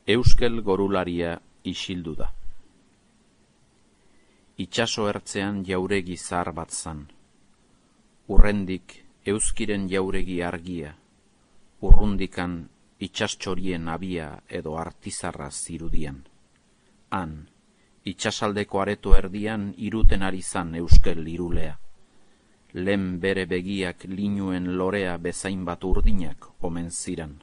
Euskel gorularia isildu da. Itxaso ertzean jauregi zahar bat zan. Urrendik euskiren jauregi argia, urrundikan itxastxorien abia edo artizarra zirudian. Han, itxasaldeko areto erdian iruten ari zan euskel irulea. Lehen bere begiak linuen lorea bezain bat urdinak omen ziran.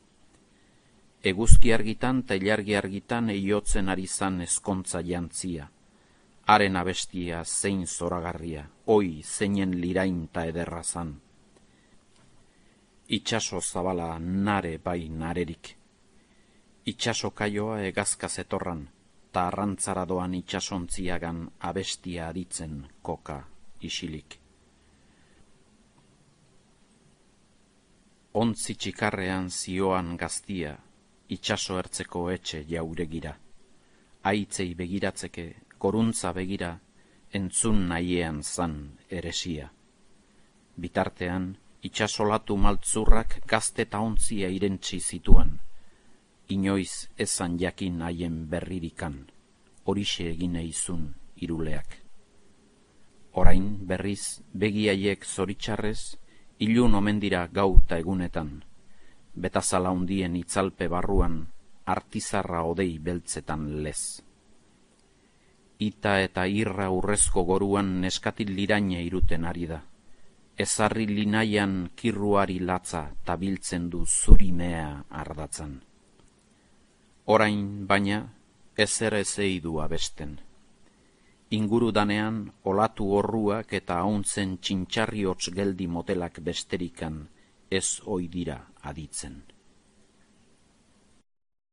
Eguzki argitan ta ilargi argitan eiotzen ari zan ezkontza jantzia. Haren abestia zein zoragarria, oi zeinen lirain ta ederra zan. Itxaso zabala nare bai narerik. Itxaso kaioa egazka zetorran, ta arrantzara doan itxasontziagan abestia aditzen koka isilik. Ontzi txikarrean zioan gaztia, itxaso ertzeko etxe jauregira. Aitzei begiratzeke, goruntza begira, entzun nahiean zan eresia. Bitartean, itxasolatu maltzurrak gazte ta ontzia irentsi zituan. Inoiz ezan jakin haien berririkan, horixe egin eizun iruleak. Orain berriz begiaiek zoritxarrez, ilun omen dira gau ta egunetan, betazala hundien itzalpe barruan, artizarra odei beltzetan lez. Ita eta irra urrezko goruan neskatil liraine iruten ari da. Ezarri linaian kirruari latza tabiltzen du zurimea ardatzan. Orain, baina, ezer ezei du abesten. Inguru danean, olatu horruak eta hauntzen txintxarri hots geldi motelak besterikan ez oidira aditzen.